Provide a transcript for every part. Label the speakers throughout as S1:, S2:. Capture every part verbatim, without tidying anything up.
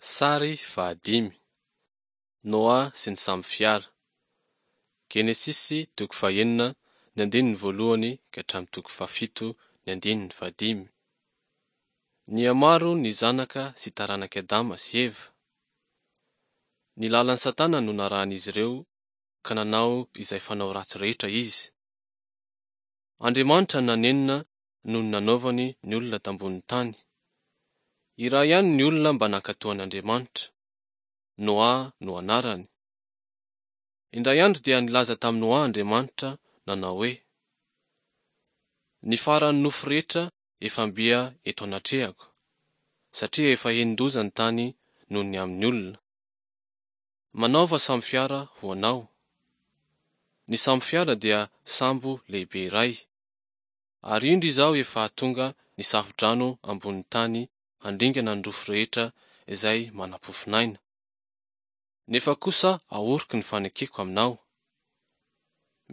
S1: Sary fahadimy. Noa sy ny sambo fiara. Genesisy toko fahenina ny andininy voalohany ka hatramin'ny toko fahafito ny andininy fahadimy. Nihamaro ny zanaka sy taranak'i Adama sy Eva. Ny lalan'i Satana no narahan'izy ireo ka nanao izay fanao ratsy rehetra izy. Andriamanitra nanenina noho ny nanaovany ny olona tambonin'ny tany. Iray ihany ny olona mba nankatò an'Andriamanitra. Noa no anarany. Indray andro dia nilaza tamin'i Noa Andriamanitra nanao hoe: Ny faran'ny nofo rehetra efa mbia eto anatrehako, satria efa henin-doza ny tany noho ny amin'ny olona. Manaova sambo fiara ho anao. Ny sambo fiara dia sambo lehibe iray. Ary indro izao efa hahatonga ny safo-drano ambonin'ny tany handringana ny nofo rehetra izay manam-pofonaina. Nefa kosa ahoriko ny fanekeko aminao.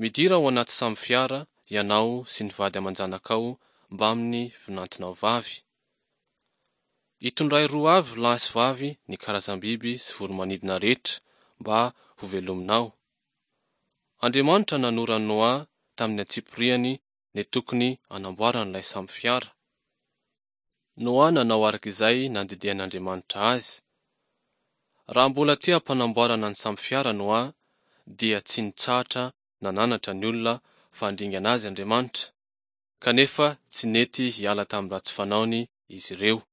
S1: Midira ao anaty sambo fiara ianao sy ny vady aman-janakao mbamin'ny vinantonao vavy. Itondray roa avy lahy sy vavy ny karazam-biby sy voro-manidina rehetra mba hovelominao. Andriamanitra nanoro an'i Noa tamin'ny antsipiriany ny tokony hanamboaran'ilay sambo fiara. Noa nanao araka izay nandidian'Andriamanitra azy. Raha mbola teo am-panamboarana ny sambo fiara Noa dia tsy nitsahatra nananatra ny olona fa handringana azy Andriamanitra, kanefa tsy nety hiala tamin'ny ratsy fanaony izy ireo.